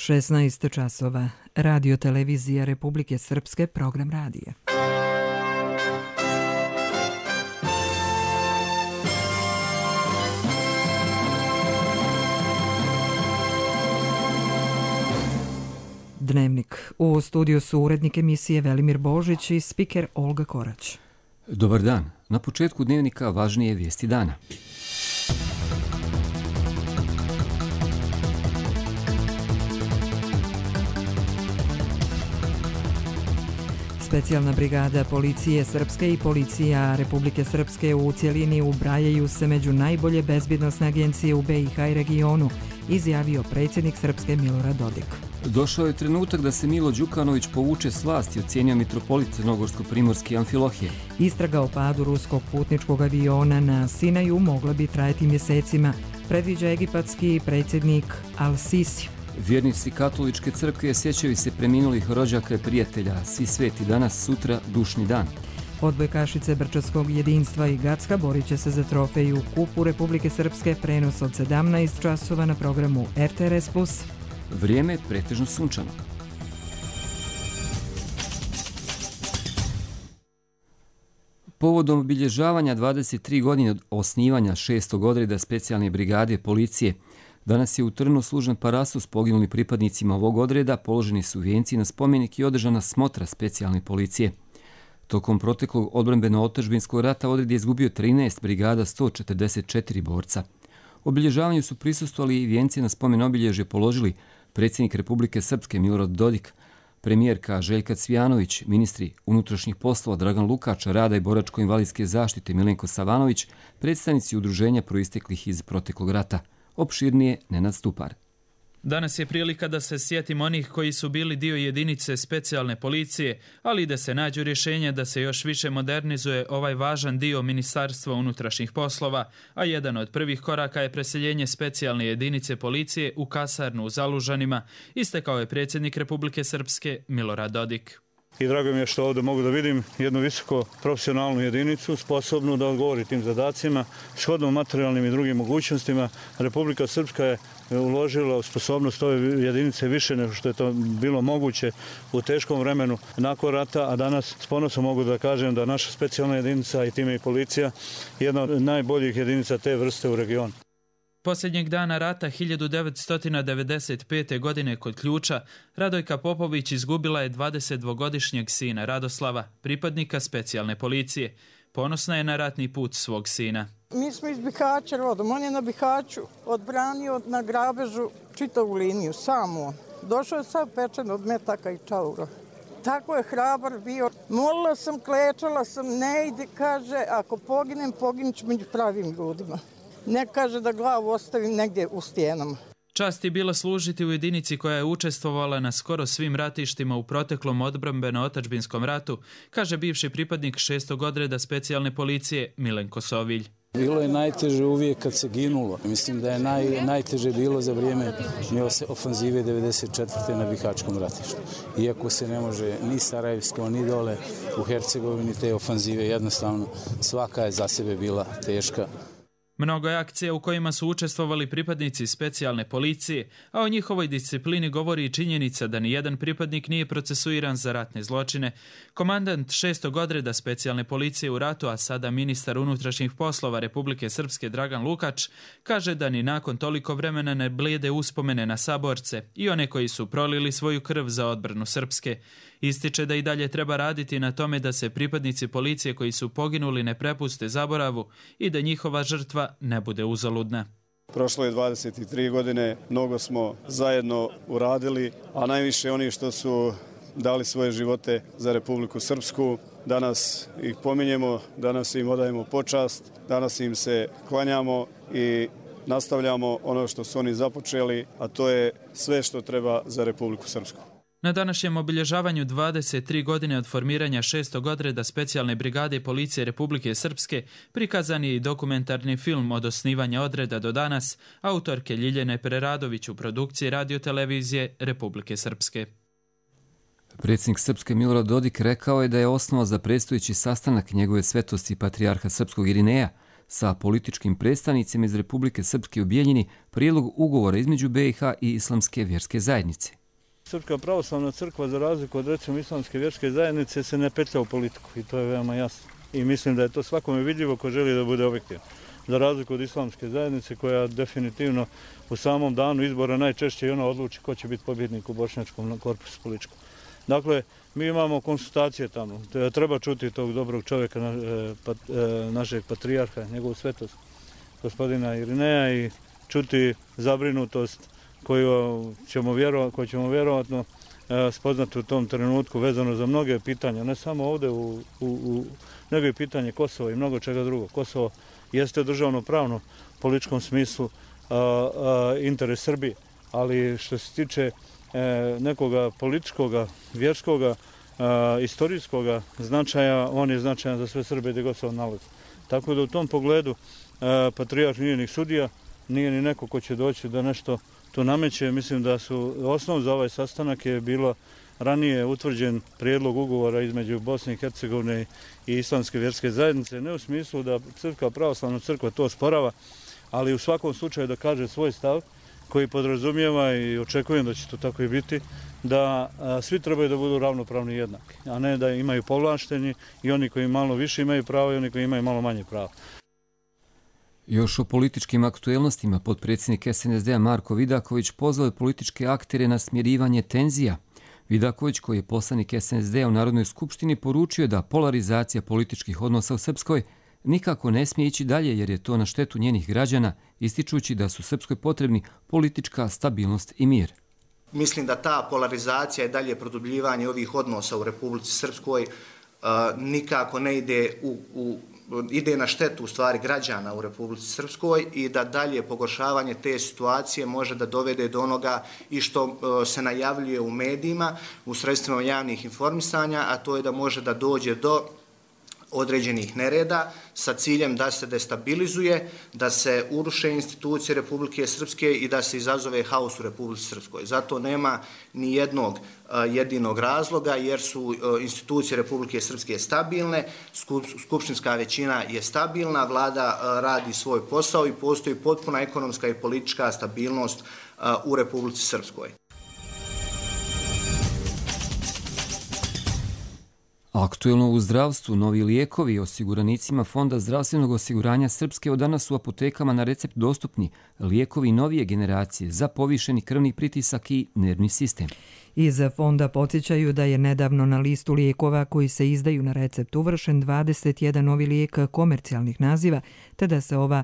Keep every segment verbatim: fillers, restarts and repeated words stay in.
šesnaest časova. Radio televizija Republike Srpske, program radija. Dnevnik. U studiju su urednik emisije Velimir Božić i spiker Olga Korać. Dobar dan. Na početku dnevnika važnije vijesti dana. Specijalna brigada policije Srpske i policija Republike Srpske u cjelini ubrajaju se među najbolje bezbjednosne agencije u be i ha i regionu, izjavio predsjednik Srpske Milorad Dodik. Došao je trenutak da se Milo Đukanović povuče s vlasti, ocjenio mitropolit Crnogorsko-primorski Amfilohije. Istraga o padu ruskog putničkog aviona na Sinaju mogla bi trajati mjesecima, predviđa egipatski predsjednik Al-Sisi. Vjernici katoličke crkve sjećaju se preminulih rođaka i prijatelja, svi sveti danas, sutra, dušni dan. Odbojkašice Brčanskog jedinstva i Gacka borit će se za trofeju u Kupu Republike Srpske, prenos od sedamnaest časova na programu er te er es plus. Vrijeme pretežno sunčano. Povodom obilježavanja dvadeset tri godine od osnivanja šestog odreda specijalne brigade policije, danas je u Trnu služen parasu s poginulim pripadnicima ovog odreda, položeni su vijenci na spomenik i održana smotra specijalne policije. Tokom proteklog odbrambeno-otadžbinskog rata odred je izgubio trinaest brigada, sto četrdeset četiri borca. Obilježavanju su prisustvovali i vijenci na spomen obilježje položili predsjednik Republike Srpske Milorad Dodik, premijerka Željka Cvijanović, ministri unutrašnjih poslova Dragan Lukač, rada i boračko-invalidske zaštite Milenko Savanović, predstavnici udruženja proisteklih iz proteklog rata. Opširnije Nenad Stupar. Danas je prilika da se sjetimo onih koji su bili dio jedinice specijalne policije, ali i da se nađu rješenja da se još više modernizuje ovaj važan dio Ministarstva unutrašnjih poslova, a jedan od prvih koraka je preseljenje specijalne jedinice policije u kasarnu u Zalužanima, istakao je predsjednik Republike Srpske Milorad Dodik. I drago mi je što ovdje mogu da vidim jednu visoko profesionalnu jedinicu, sposobnu da odgovori tim zadacima, shodno materijalnim i drugim mogućnostima. Republika Srpska je uložila u sposobnost ove jedinice više nego što je to bilo moguće u teškom vremenu nakon rata, a danas s ponosom mogu da kažem da naša specijalna jedinica i time i policija je jedna od najboljih jedinica te vrste u regionu. Posljednjeg dana rata hiljadu devetsto devedeset pete. godine kod Ključa, Radojka Popović izgubila je dvadesetdvogodišnjeg sina Radoslava, pripadnika specijalne policije. Ponosna je na ratni put svog sina. Mi smo iz Bihaća rodom, on je na Bihaću odbranio na grabežu čitavu liniju, samo. Došao je sav pečen od metaka i čaura. Tako je hrabar bio. Molila sam, klečala sam, ne ide, kaže, ako poginem, poginut ću među pravim ljudima. Ne kaže da glavu ostavim negdje u stijenama. Čast je bila služiti u jedinici koja je učestvovala na skoro svim ratištima u proteklom odbrambeno-otadžbinskom ratu, kaže bivši pripadnik šestog odreda specijalne policije Milenko Sovilj. Bilo je najteže uvijek kad se ginulo. Mislim da je naj, najteže bilo za vrijeme ofanzive devedeset četvrte. na Bihaćkom ratištu. Iako se ne može ni Sarajevsko, ni dole u Hercegovini te ofanzive, jednostavno svaka je za sebe bila teška. Mnogo je akcija u kojima su učestvovali pripadnici specijalne policije, a o njihovoj disciplini govori i činjenica da ni jedan pripadnik nije procesuiran za ratne zločine. Komandant šestog odreda specijalne policije u ratu, a sada ministar unutrašnjih poslova Republike Srpske Dragan Lukač, kaže da ni nakon toliko vremena ne blijede uspomene na saborce i one koji su prolili svoju krv za odbranu Srpske. Ističe da i dalje treba raditi na tome da se pripadnici policije koji su poginuli ne prepuste zaboravu i da njihova žrtva ne bude uzaludna. Prošlo je dvadeset tri godine, mnogo smo zajedno uradili, a najviše oni što su dali svoje živote za Republiku Srpsku. Danas ih pominjemo, danas im odajemo počast, danas im se klanjamo i nastavljamo ono što su oni započeli, a to je sve što treba za Republiku Srpsku. Na današnjem obilježavanju dvadeset tri godine od formiranja šestog odreda specijalne brigade policije Republike Srpske prikazan je i dokumentarni film od osnivanja odreda do danas autorke Ljiljane Preradović u produkciji radiotelevizije Republike Srpske. Predsjednik Srpske Milorad Dodik rekao je da je osnova za predstojeći sastanak njegove svetosti patrijarha srpskog Irineja sa političkim predstavnicima iz Republike Srpske u Bijeljini prijedlog ugovora između B i H i Islamske vjerske zajednice. Srpska pravoslavna crkva, za razliku od recimo Islamske vjerske zajednice, se ne petlja u politiku i to je veoma jasno. I mislim da je to svakome vidljivo ko želi da bude objektivan. Za razliku od Islamske zajednice koja definitivno u samom danu izbora najčešće i ona odluči ko će biti pobjednik u bošnjačkom korpusu političkom. Dakle, mi imamo konsultacije tamo. Treba čuti tog dobrog čovjeka, našeg patrijarha, njegovu svetost, gospodina Irineja, i čuti zabrinutost koju ćemo, vjero, koju ćemo vjerovatno spoznati u tom trenutku vezano za mnoge pitanja, ne samo ovdje, u, u, u, nego i pitanje Kosova i mnogo čega drugog. Kosovo jeste državno pravno u političkom smislu a, a, interes Srbije, ali što se tiče e, nekoga političkoga, vjerskoga, a, istorijskoga značaja, on je značajan za sve Srbe gdje god se on nalazi. Tako da u tom pogledu a, patrijarh nije ni sudija, nije ni neko ko će doći da nešto to nameće. Mislim da su osnov za ovaj sastanak je bilo ranije utvrđen prijedlog ugovora između Bosne i Hercegovine i Islamske vjerske zajednice, ne u smislu da Crkva pravoslavna crkva to osporava, ali u svakom slučaju da kaže svoj stav koji podrazumijeva, i očekujem da će to tako i biti, da a, svi trebaju da budu ravnopravni i jednaki, a ne da imaju povlašteni i oni koji malo više imaju pravo i oni koji imaju malo manje pravo. Još o političkim aktuelnostima potpredsjednik S N S D-a Marko Vidaković pozvao je političke aktere na smirivanje tenzija. Vidaković, koji je poslanik S N S D-a u Narodnoj skupštini, poručio da polarizacija političkih odnosa u Srpskoj nikako ne smije ići dalje jer je to na štetu njenih građana, ističući da su Srpskoj potrebni politička stabilnost i mir. Mislim da ta polarizacija i dalje produbljivanje ovih odnosa u Republici Srpskoj uh, nikako ne ide u, u ide na štetu u stvari građana u Republici Srpskoj i da dalje pogoršavanje te situacije može da dovede do onoga i što uh, se najavljuje u medijima, u sredstvima javnih informisanja, a to je da može da dođe do određenih nereda sa ciljem da se destabilizuje, da se uruše institucije Republike Srpske i da se izazove haos u Republici Srpskoj. Zato nema ni jednog uh, jedinog razloga jer su uh, institucije Republike Srpske stabilne, skup, skupštinska većina je stabilna, vlada uh, radi svoj posao i postoji potpuna ekonomska i politička stabilnost uh, u Republici Srpskoj. Aktuelno u zdravstvu, novi lijekovi osiguranicima Fonda zdravstvenog osiguranja Srpske od danas su u apotekama na recept dostupni lijekovi novije generacije za povišeni krvni pritisak i nervni sistem. Iz fonda podsjećaju da je nedavno na listu lijekova koji se izdaju na recept uvršen dvadeset jedan novi lijek komercijalnih naziva, te da se ova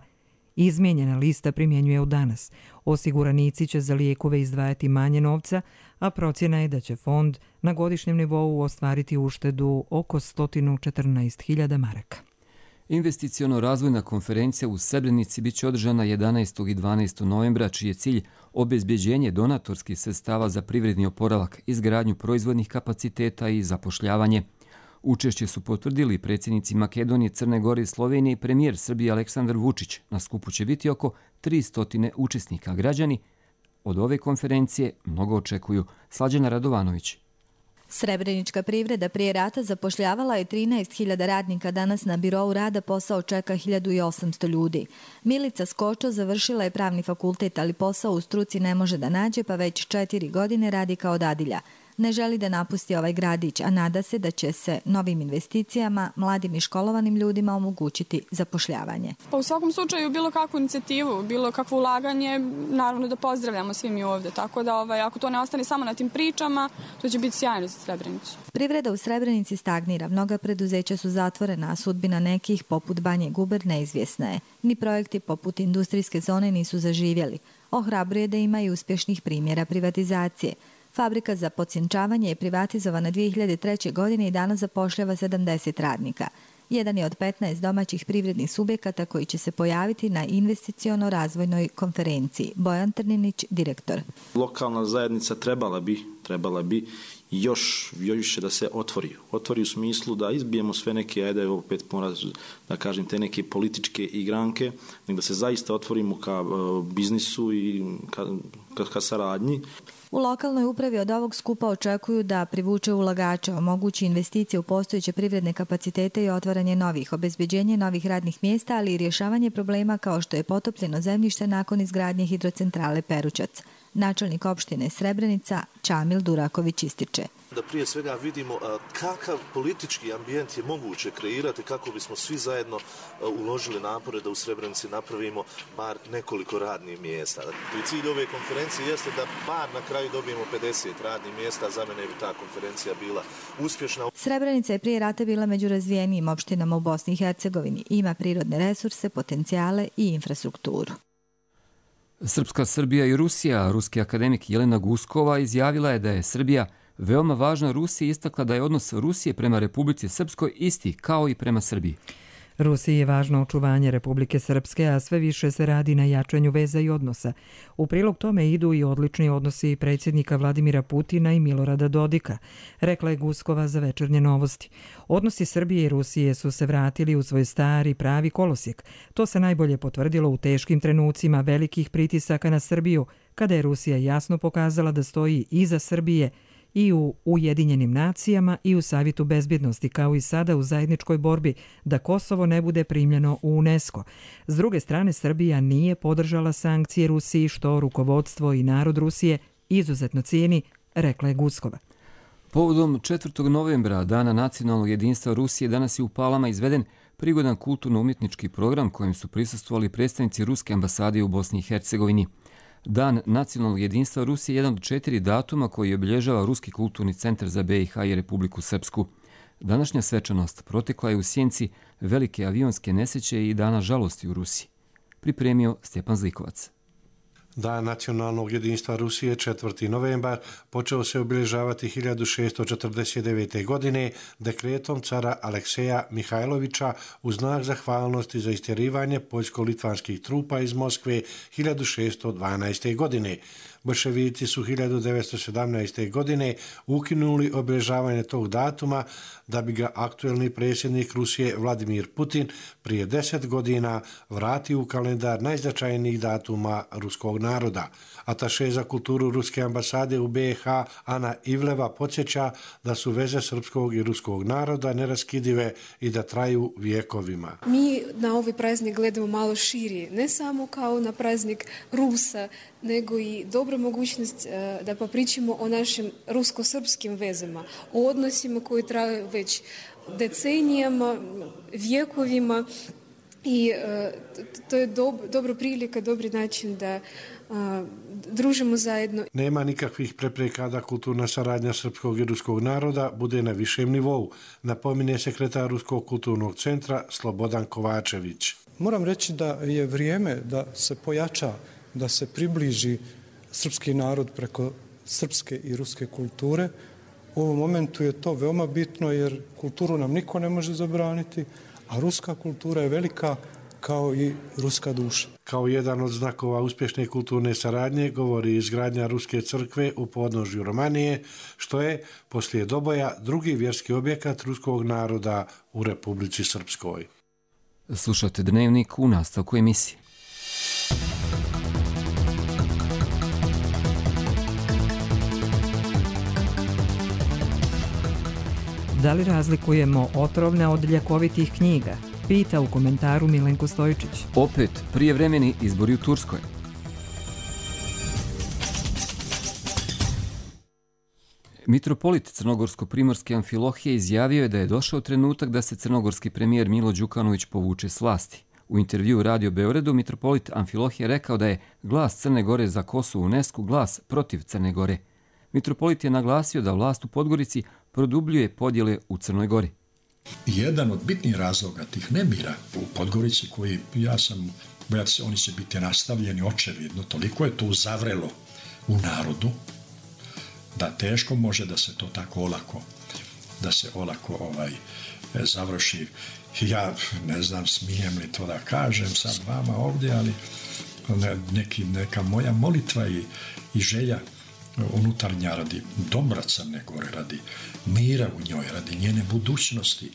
izmijenjena lista primjenjuje od danas. Osiguranici će za lijekove izdvajati manje novca, a procjena je da će fond na godišnjem nivou ostvariti uštedu oko sto četrnaest hiljada maraka. Investiciono-razvojna konferencija u Srebrenici biće održana jedanaestog i dvanaestog novembra, čiji je cilj obezbeđenje donatorskih sredstava za privredni oporavak, izgradnju proizvodnih kapaciteta i zapošljavanje. Učešće su potvrdili predsjednici Makedonije, Crne Gore i Slovenije i premijer Srbije Aleksandar Vučić. Na skupu će biti oko tristo učesnika. Građani od ove konferencije mnogo očekuju. Slađana Radovanović. Srebrenička privreda prije rata zapošljavala je trinaest hiljada radnika, danas na birou rada posao čeka hiljadu osamsto ljudi. Milica Skočo završila je pravni fakultet, ali posao u struci ne može da nađe, pa već četiri godine radi kao dadilja. Ne želi da napusti ovaj gradić, a nada se da će se novim investicijama mladim i školovanim ljudima omogućiti zapošljavanje. Pa u svakom slučaju bilo kakvu inicijativu, bilo kakvo ulaganje, naravno da pozdravljamo svi mi ovdje. Tako da ovaj, ako to ne ostane samo na tim pričama, to će biti sjajno za Srebrenicu. Privreda u Srebrenici stagnira. Mnoga preduzeća su zatvorena, a sudbina nekih, poput Banje Guber, neizvjesna je. Ni projekti poput industrijske zone nisu zaživjeli. Ohrabruje da ima i uspješnih primjera privatizacije. Fabrika za podsjenčavanje je privatizovana dvije hiljade treće. godine i danas zapošljava sedamdeset radnika. Jedan je od petnaest domaćih privrednih subjekata koji će se pojaviti na investiciono-razvojnoj konferenciji. Bojan Trninić, direktor. Lokalna zajednica trebala bi, trebala bi još više da se otvori. Otvori u smislu da izbijemo sve neke, ajde opet mora da kažem, te neke političke igranke, nego da se zaista otvorimo ka uh, biznisu i ka, ka, ka saradnji. U lokalnoj upravi od ovog skupa očekuju da privuče ulagača, omogući investicije u postojeće privredne kapacitete i otvaranje novih, obezbeđenje novih radnih mjesta, ali i rješavanje problema kao što je potopljeno zemljište nakon izgradnje hidrocentrale Perućac. Načelnik opštine Srebrenica Čamil Duraković ističe. Da prije svega vidimo kakav politički ambijent je moguće kreirati kako bismo svi zajedno uložili napore da u Srebrenici napravimo bar nekoliko radnih mjesta. I cilj ove konferencije jeste da bar na kraju dobijemo pedeset radnih mjesta, za mene bi ta konferencija bila uspješna. Srebrenica je prije rata bila među razvijenijim opštinama u Bosni i Hercegovini. Ima prirodne resurse, potencijale i infrastrukturu. Srpska Srbija i Rusija, ruski akademik Jelena Guskova izjavila je da je Srbija veoma važna Rusiji, istakla da je odnos Rusije prema Republici Srpskoj isti kao i prema Srbiji. Rusiji je važno očuvanje Republike Srpske, a sve više se radi na jačanju veza i odnosa. U prilog tome idu i odlični odnosi predsjednika Vladimira Putina i Milorada Dodika, rekla je Guskova za Večernje novosti. Odnosi Srbije i Rusije su se vratili u svoj stari pravi kolosijek. To se najbolje potvrdilo u teškim trenucima velikih pritisaka na Srbiju, kada je Rusija jasno pokazala da stoji iza Srbije i u Ujedinjenim nacijama i u Savjetu bezbjednosti, kao i sada u zajedničkoj borbi da Kosovo ne bude primljeno u UNESCO. S druge strane, Srbija nije podržala sankcije Rusiji, što rukovodstvo i narod Rusije izuzetno cijeni, rekla je Guskova. Povodom četvrtog novembra, Dana nacionalnog jedinstva Rusije, danas je u Palama izveden prigodan kulturno-umjetnički program kojim su prisustvovali predstavnici Ruske ambasade u Bosni i Hercegovini. Dan nacionalnog jedinstva Rusije je jedan od četiri datuma koji obilježava Ruski kulturni centar za B i H i Republiku Srpsku. Današnja svečanost protekla je u sjenci velike avionske nesreće i dana žalosti u Rusiji. Pripremio Stjepan Zlikovac. Dan nacionalnog jedinstva Rusije, četvrti novembar, počeo se obilježavati hiljadu šesto četrdeset devete. godine dekretom cara Alekseja Mihajlovića u znak zahvalnosti za istjerivanje poljsko-litvanskih trupa iz Moskve hiljadu šesto dvanaeste. godine. Bolševici su hiljadu devetsto sedamnaeste. godine ukinuli obilježavanje tog datuma da bi ga aktuelni predsjednik Rusije Vladimir Putin prije deset godina vratio u kalendar najznačajnijih datuma ruskog naroda. Ataše za kulturu Ruske ambasade u B i H Ana Ivleva podsjeća da su veze srpskog i ruskog naroda neraskidive i da traju vijekovima. Mi na ovaj praznik gledamo malo širi, ne samo kao na praznik Rusa, nego i dobra mogućnost da popričamo o našim rusko-srpskim vezama, o odnosima koji traju već decenijama, vjekovima i to je dobra prilika, dobri način da družimo zajedno. Nema nikakvih prepreka da kulturna saradnja srpskog i ruskog naroda bude na višem nivou, napominje sekretar Ruskog kulturnog centra Slobodan Kovačević. Moram reći da je vrijeme da se pojača, da se približi srpski narod preko srpske i ruske kulture. U ovom momentu je to veoma bitno jer kulturu nam niko ne može zabraniti, a ruska kultura je velika kao i ruska duša. Kao jedan od znakova uspješne kulturne saradnje govori izgradnja Ruske crkve u podnožju Romanije, što je poslije Doboja drugi vjerski objekat ruskog naroda u Republici Srpskoj. Slušate Dnevnik u nastavku emisije. Da li razlikujemo otrovne od ljekovitih knjiga? Pita u komentaru Milenko Stojičić. Opet prijevremeni izbori u Turskoj. Mitropolit crnogorsko-primorske Amfilohije izjavio je da je došao trenutak da se crnogorski premijer Milo Đukanović povuče s vlasti. U intervju u Radio Beogradu mitropolit Amfilohije rekao da je glas Crne Gore za Kosovo u UNESCO glas protiv Crne Gore. Mitropolit je naglasio da vlast u Podgorici produbljuje podjele u Crnoj Gori. Jedan od bitnih razloga tih nemira u Podgorici, koji ja sam, bojati se, oni će biti nastavljeni očevidno, toliko je to zavrelo u narodu, da teško može da se to tako olako, da se olako ovaj, završi. Ja ne znam, smijem li to da kažem sad vama ovdje, ali neki, neka moja molitva i, i želja unutarnja radi dobra Crne Gore, radi mira u njoj, radi njene budućnosti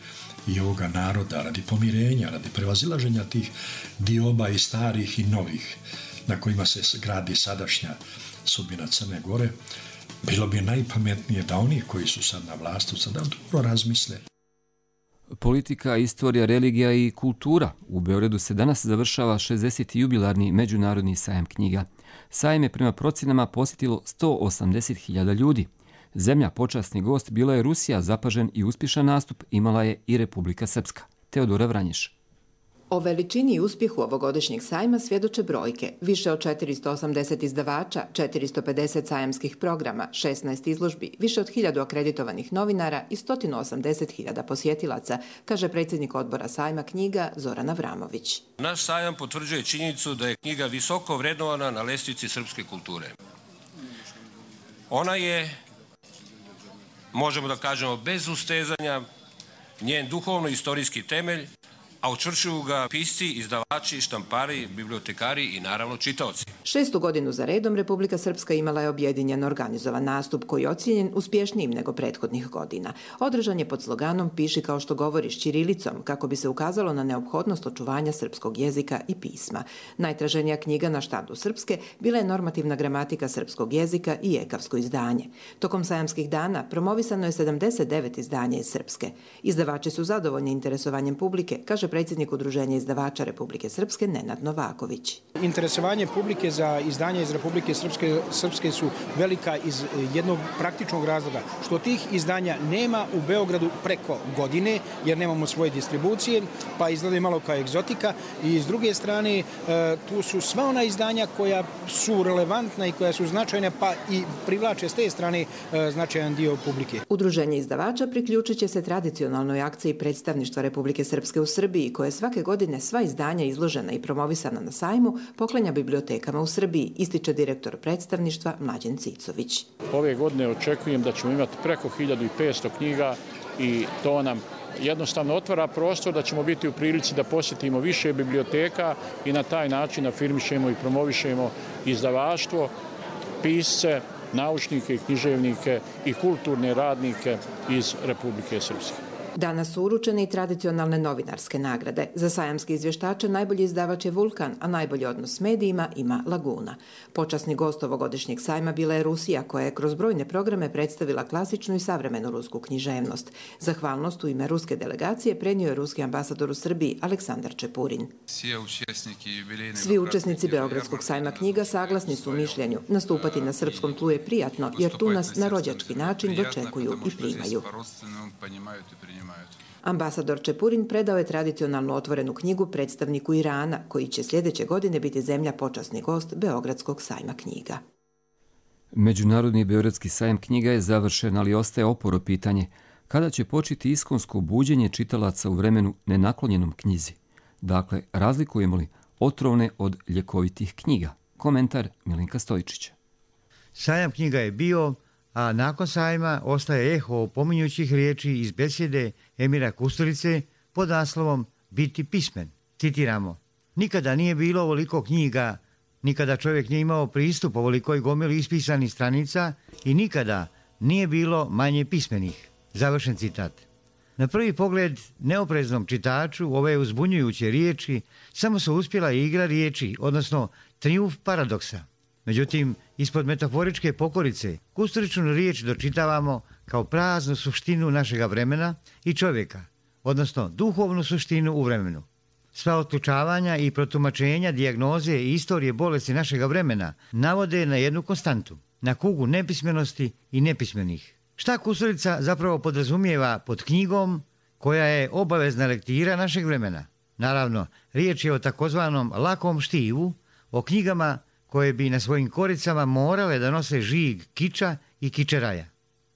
i ovoga naroda, radi pomirenja, radi prevazilaženja tih dioba i starih i novih na kojima se gradi sadašnja sudbina Crne Gore, bilo bi najpametnije da oni koji su sad na vlasti sada dobro razmisle. Politika, istorija, religija i kultura. U Beogradu se danas završava šezdeseti jubilarni međunarodni sajam knjiga. Sajam je prema procjenama posjetilo sto osamdeset hiljada ljudi. Zemlja počasni gost bila je Rusija, zapažen i uspješan nastup imala je i Republika Srpska. Teodora Vranješ. O veličini i uspjehu ovogodišnjeg sajma svjedoče brojke. Više od četiristo osamdeset izdavača, četiristo pedeset sajamskih programa, šesnaest izložbi, više od hiljadu akreditovanih novinara i sto osamdeset hiljada posjetilaca, kaže predsjednik odbora sajma knjiga Zoran Avramović. Naš sajam potvrđuje činjenicu da je knjiga visoko vrednovana na lestvici srpske kulture. Ona je, možemo da kažemo bez ustezanja, njen duhovno-istorijski temelj, a učvršuju ga pisci, izdavači, štampari, bibliotekari i naravno čitaoci. Šestu godinu za redom Republika Srpska imala je objedinjen organizovan nastup koji je ocijenjen uspješnijim nego prethodnih godina. Održan je pod sloganom Piši kao što govoriš ćirilicom, kako bi se ukazalo na neophodnost očuvanja srpskog jezika i pisma. Najtraženija knjiga na štandu Srpske bila je normativna gramatika srpskog jezika i ekavsko izdanje. Tokom sajamskih dana promovisano je sedamdeset devet izdanja iz Srpske. Izdavači su zadovoljni interesovanjem publike, kaže predsjednik Udruženja izdavača Republike Srpske Nenad Novaković. Interesovanje publike za izdanja iz Republike Srpske, Srpske su velika iz jednog praktičnog razloga, što tih izdanja nema u Beogradu preko godine, jer nemamo svoje distribucije, pa izgleda malo kao egzotika. I s druge strane, tu su sva ona izdanja koja su relevantna i koja su značajna, pa i privlače s te strane značajan dio publike. Udruženje izdavača priključit će se tradicionalnoj akciji predstavništva Republike Srpske u Srbiji, koje svake godine sva izdanja izložena i promovisana na sajmu poklanja bibliotekama u Srbiji, ističe direktor predstavništva Mlađen Cicović. Ove godine očekujem da ćemo imati preko hiljadu petsto knjiga i to nam jednostavno otvara prostor da ćemo biti u prilici da posjetimo više biblioteka i na taj način afirmišemo i promovišemo izdavaštvo, pisce, naučnike, književnike i kulturne radnike iz Republike Srpske. Danas su uručene i tradicionalne novinarske nagrade. Za sajamske izvještače najbolji izdavač je Vulkan, a najbolji odnos s medijima ima Laguna. Počasni gost ovogodišnjeg sajma bila je Rusija, koja je kroz brojne programe predstavila klasičnu i savremenu rusku književnost. Zahvalnost u ime ruske delegacije prenio je ruski ambasador u Srbiji Aleksandar Čepurin. Svi učesnici Beogradskog sajma knjiga saglasni su u mišljenju. Nastupati na srpskom tlu je prijatno, jer tu nas na rođački način dočekuju i primaju. Ambasador Čepurin predao je tradicionalnu otvorenu knjigu predstavniku Irana, koji će sljedeće godine biti zemlja počasni gost Beogradskog sajma knjiga. Međunarodni Beogradski sajam knjiga je završen, ali ostaje oporo pitanje kada će početi iskonsko buđenje čitalaca u vremenu nenaklonjenom knjizi. Dakle, razlikujemo li otrovne od ljekovitih knjiga? Komentar Milinka Stojičića. Sajam knjiga je bio, a nakon sajma ostaje eho opominjućih riječi iz besjede Emira Kusturice pod naslovom Biti pismen. Citiramo: nikada nije bilo ovoliko knjiga, nikada čovjek nije imao pristup ovolikoj gomili ispisanih stranica i nikada nije bilo manje pismenih. Završen citat. Na prvi pogled neopreznom čitaču ove uzbunjujuće riječi samo su uspjela igra riječi, odnosno trijumf paradoksa. Međutim, ispod metaforičke pokorice Kusturičnu riječ dočitavamo kao praznu suštinu našega vremena i čovjeka, odnosno duhovnu suštinu u vremenu. Sva otključavanja i protumačenja, dijagnoze i istorije bolesti našega vremena navode na jednu konstantu, na kugu nepismenosti i nepismenih. Šta Kusturica zapravo podrazumijeva pod knjigom koja je obavezna lektira našeg vremena? Naravno, riječ je o takozvanom lakom štivu, o knjigama koje bi na svojim koricama morale da nose žig kiča i kičeraja.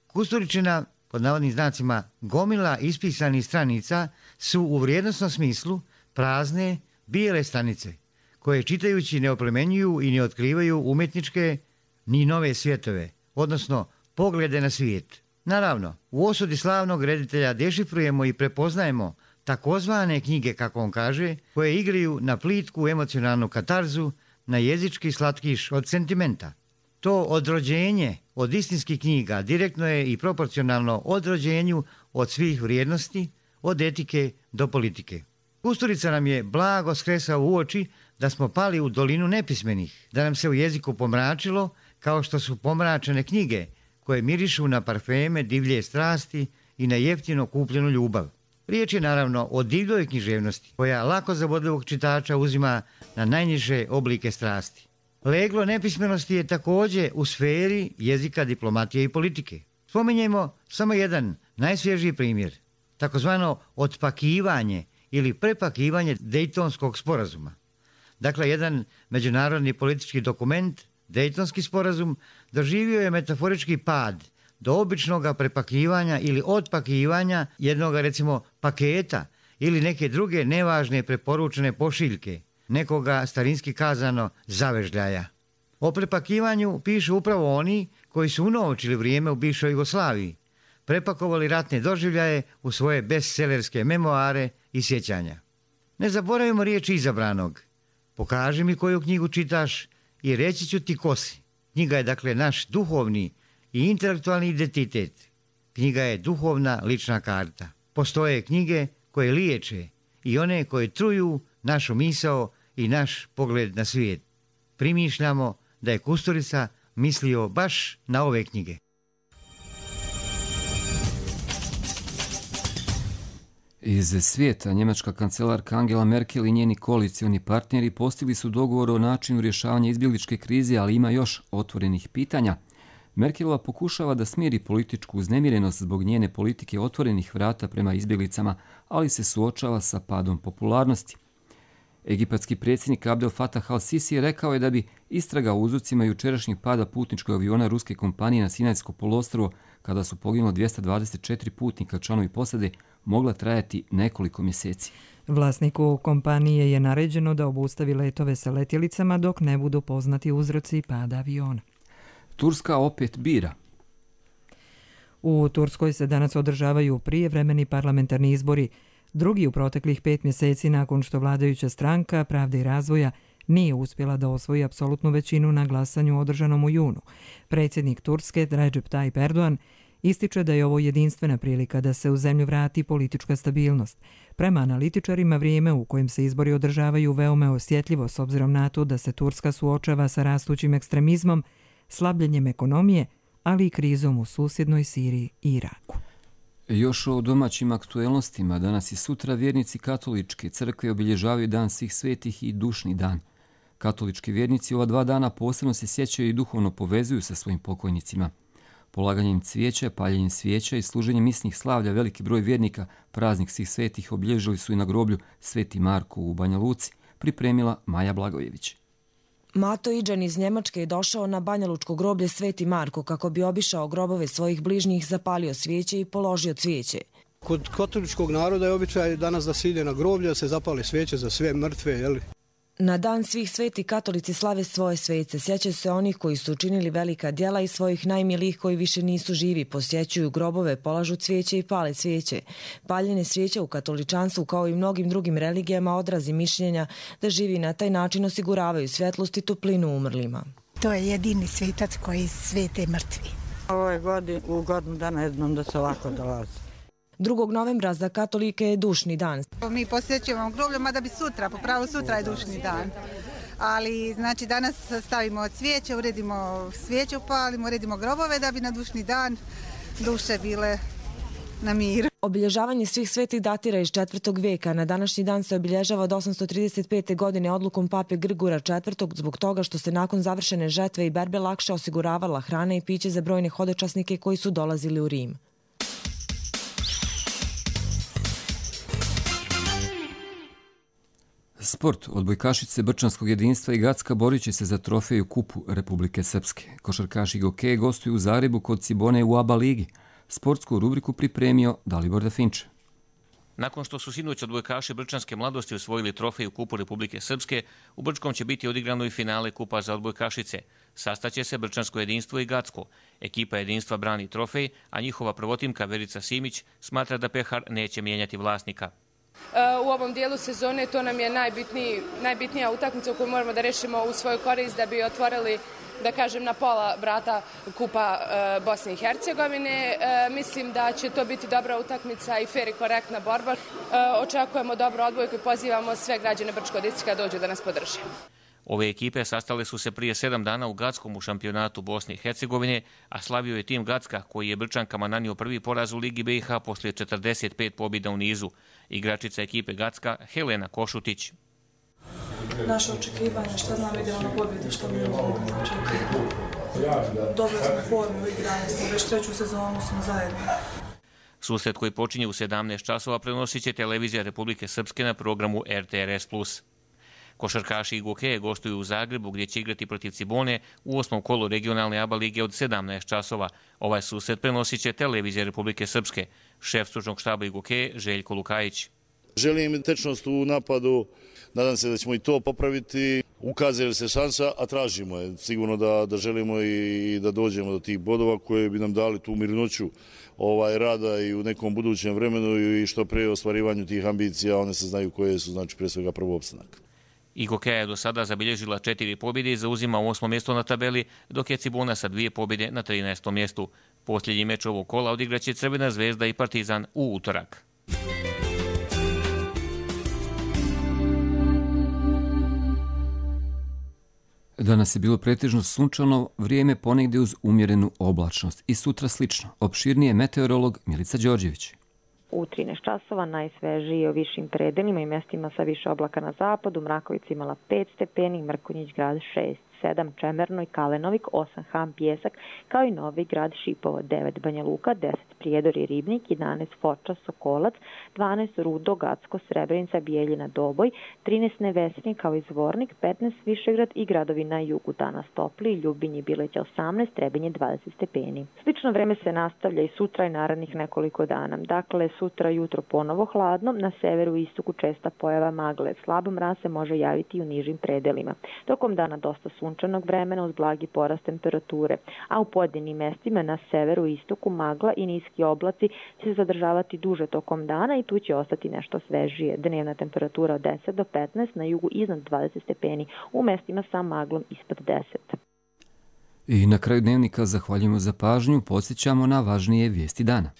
Kusturičina, pod navodnim znacima, gomila ispisanih stranica su u vrijednosnom smislu prazne, bijele stranice, koje čitajući ne oplemenjuju i ne otkrivaju umjetničke ni nove svjetove, odnosno poglede na svijet. Naravno, u osudi slavnog reditelja dešifrujemo i prepoznajemo takozvane knjige, kako on kaže, koje igraju na plitku emocionalnu katarzu, na jezički slatkiš od sentimenta. To odrođenje od istinskih knjiga direktno je i proporcionalno odrođenju od svih vrijednosti, od etike do politike. Kusturica nam je blago skresao u oči da smo pali u dolinu nepismenih, da nam se u jeziku pomračilo kao što su pomračene knjige koje mirišu na parfeme divlje strasti i na jeftino kupljenu ljubav. Riječ je naravno o divljoj književnosti koja lako zavodljivog čitača uzima na najniže oblike strasti. Leglo nepismenosti je također u sferi jezika, diplomatije i politike. Spominjemo samo jedan najsvježiji primjer, takozvano otpakivanje ili prepakivanje Dejtonskog sporazuma. Dakle, jedan međunarodni politički dokument, Dejtonski sporazum, doživio je metaforički pad do običnog prepakivanja ili otpakivanja jednog, recimo, paketa ili neke druge nevažne preporučene pošiljke, nekoga starinski kazano zavežljaja. O prepakivanju pišu upravo oni koji su unovčili vrijeme u bivšoj Jugoslaviji, prepakovali ratne doživljaje u svoje bestsellerske memoare i sjećanja. Ne zaboravimo riječ izabranog. Pokaži mi koju knjigu čitaš i reći ću ti ko si. Knjiga je dakle naš duhovni i intelektualni identitet. Knjiga je duhovna lična karta. Postoje knjige koje liječe i one koje truju našu misao i naš pogled na svijet. Primišljamo da je Kusturica mislio baš na ove knjige. Iz svijeta njemačka kancelarka Angela Merkel i njeni koalicioni partneri postigli su dogovor o načinu rješavanja izbjegličke krize, ali ima još otvorenih pitanja. Merkelova pokušava da smiri političku uznemirenost zbog njene politike otvorenih vrata prema izbjeglicama, ali se suočava sa padom popularnosti. Egipatski predsjednik Abdel Fattah al-Sisi rekao je da bi istraga o uzrocima jučerašnjeg pada putničkog aviona ruske kompanije na Sinajsko poluostrvo, kada su poginulo dvjesto dvadeset četiri putnika članovi posade, mogla trajati nekoliko mjeseci. Vlasniku kompanije je naređeno da obustavi letove sa letjelicama dok ne budu poznati uzroci pada aviona. Turska opet bira. U Turskoj se danas održavaju prijevremeni parlamentarni izbori, drugi u proteklih pet mjeseci nakon što vladajuća stranka Pravde i razvoja nije uspjela da osvoji apsolutnu većinu na glasanju održanom u junu. Predsjednik Turske Recep Tayyip Erdogan ističe da je ovo jedinstvena prilika da se u zemlju vrati politička stabilnost. Prema analitičarima, vrijeme u kojem se izbori održavaju veoma osjetljivo s obzirom na to da se Turska suočava sa rastućim ekstremizmom, slabljenjem ekonomije, ali i krizom u susjednoj Siriji i Iraku. Još o domaćim aktuelnostima. Danas i sutra vjernici katoličke crkve obilježavaju Dan svih svetih i dušni dan. Katolički vjernici ova dva dana posebno se sjećaju i duhovno povezuju sa svojim pokojnicima. Polaganjem cvijeća, paljenjem svijeća i služenjem misnih slavlja veliki broj vjernika praznik svih svetih obilježili su i na groblju Sveti Marko u Banja Luci, pripremila Maja Blagojević. Mato Iđan iz Njemačke je došao na banjalučko groblje Sveti Marko kako bi obišao grobove svojih bližnjih, zapalio svijeće i položio cvijeće. Kod katoličkog naroda je običaj danas da se ide na groblje, da se zapale svijeće za sve mrtve, jeli? Na dan svih sveti katolici slave svoje svece, sjećaju se onih koji su učinili velika djela i svojih najmilijih koji više nisu živi, posjećuju grobove, polažu cvijeće i pale cvijeće. Paljenje svijeća u katoličanstvu kao i mnogim drugim religijama odrazi mišljenja da živi na taj način osiguravaju svjetlost i toplinu umrlima. To je jedini svetac koji svete mrtvi. Ovo je godin, u godinu dana jednom da se ovako dolazi. drugog novembra za katolike je dušni dan. Mi posjećujemo groblje, mada bi sutra, po pravu sutra je dušni dan. Ali znači danas stavimo cvijeće, uredimo svijeće, upalimo, uredimo grobove da bi na dušni dan duše bile na miru. Obilježavanje svih svetih datira iz četvrtog vijeka. Na današnji dan se obilježava od osamsto trideset pete. godine odlukom pape Grigora četvrtog. zbog toga što se nakon završene žetve i berbe lakše osiguravala hrana i piće za brojne hodočasnike koji su dolazili u Rim. Sport. Odbojkašice Brčanskog jedinstva i Gacka borit će se za trofeju Kupu Republike Srpske. Košarkaši Gokeje gostuju u Zagrebu kod Cibone u ABA ligi. Sportsku rubriku pripremio Dalibor Definče. Nakon što su sinoć odbojkaši Brčanske mladosti osvojili trofeju Kupu Republike Srpske, u Brčkom će biti odigrano i finale Kupa za odbojkašice. Sastaće se Brčansko jedinstvo i Gacko. Ekipa jedinstva brani trofej, a njihova prvotimka Verica Simić smatra da pehar neće mijenjati vlasnika. U ovom dijelu sezone to nam je najbitniji, najbitnija utakmica koju moramo da rešimo u svoju korist da bi otvorili, da kažem, na pola vrata Kupa e, Bosne i Hercegovine. E, mislim da će to biti dobra utakmica i fer i korektna borba. E, očekujemo dobro odbojku i pozivamo sve građane Brčkog distrikta da dođu da nas podrže. Ove ekipe sastale su se prije sedam dana u Gackom u šampionatu Bosne i Hercegovine, a slavio je tim Gacka koji je Brčankama nanio prvi poraz u Ligi B i H poslije četrdeset pet pobjeda u nizu. Igračica ekipe Gacka Helena Košutić. Naše očekivanje, šta znam, idemo na pobjedu, što mi imamo očekivati. Dobro smo formu, igrali smo, već treću sezonu smo zajedno. Susret koji počinje u sedamnaest časova prenosit će televizija Republike Srpske na programu R T R S plus. Košarkaši Igokeje gostuju u Zagrebu gdje će igrati protiv Cibone u osmom kolu regionalne A B A lige od sedamnaest časova. Ovaj susret prenosit će televizija Republike Srpske. Šef stručnog štaba Igokeje Željko Lukajić. Želim tečnost u napadu, nadam se da ćemo i to popraviti. Ukazuje se šansa, a tražimo je. Sigurno da, da želimo i da dođemo do tih bodova koje bi nam dali tu mirnoću ovaj, rada i u nekom budućem vremenu i što pre ostvarivanju tih ambicija, one se znaju koje su, znači pre svega prvo opstanak. Igokeja je do sada zabilježila četiri pobjede i zauzima osmo mjesto na tabeli, dok je Cibona sa dvije pobjede na trinaestom mjestu. Posljednji meč ovog kola odigraće Crvena zvezda i Partizan u utorak. Danas je bilo pretežno sunčano vrijeme, ponegdje uz umjerenu oblačnost i sutra slično. Opširnije meteorolog Milica Đorđević. U trinaest časova najsvežiji o višim predelima i mjestima sa više oblaka na zapadu. Mrakovica imala pet stepeni, Mrkonjić grad šest, sedam Čemerno i Kalenovik, osam Ham Pjesak, kao i Novi grad Šipovo, devet Banja Luka, deset Prijedor i Ribnik, jedanaest Foča, Sokolac, dvanaest Rudo, Gacko, Srebrenica, Bijeljina, Doboj, trinaest Nevesinje kao i Zvornik, petnaest Višegrad i gradovi na jugu. Danas topli, Ljubinje, Bileća osamnaest, Trebinje dvadeset stepeni. Slično vreme se nastavlja i sutra i narednih nekoliko dana. Dakle, sutra jutro ponovo hladno, na severu i istoku česta pojava magle. Slab mraz se može javiti i u nižim predelima. Tokom dana dosta sunčanog vremena uz blagi porast temperature, a u pojedinim mjestima na severu i istoku magla i niski oblaci će se zadržavati duže tokom dana i tu će ostati nešto svežije. Dnevna temperatura od deset do petnaest, na jugu iznad dvadeset stepeni, u mjestima sa maglom ispod deset. I na kraju dnevnika zahvaljujemo za pažnju, podsjećamo na važnije vijesti dana.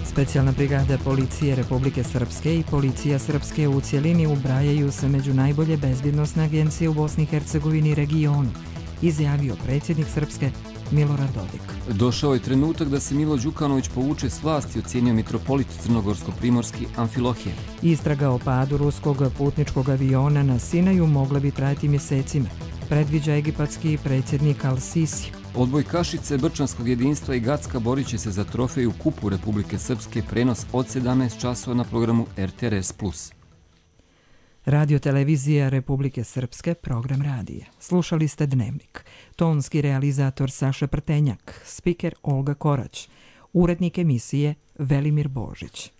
Specijalna brigada policije Republike Srpske i policija Srpske u cjelini ubrajaju se među najbolje bezbjednosne agencije u Bosni i Hercegovini i regionu, izjavio predsjednik Srpske Milorad Dodik. Došao je trenutak da se Milo Đukanović povuče s vlasti, ocjenio mitropolit crnogorsko-primorski Amfilohije. Istraga o padu ruskog putničkog aviona na Sinaju mogla bi trajati mjesecima, predviđa egipatski predsjednik Al-Sisi. Odbojkašice Brčanskog jedinstva i Gacka borit će se za trofej u Kupu Republike Srpske, prenos od sedamnaest časova na programu R T R S plus. Radio televizija Republike Srpske, program radija. Slušali ste Dnevnik. Tonski realizator Saša Prtenjak, spiker Olga Korać, urednik emisije Velimir Božić.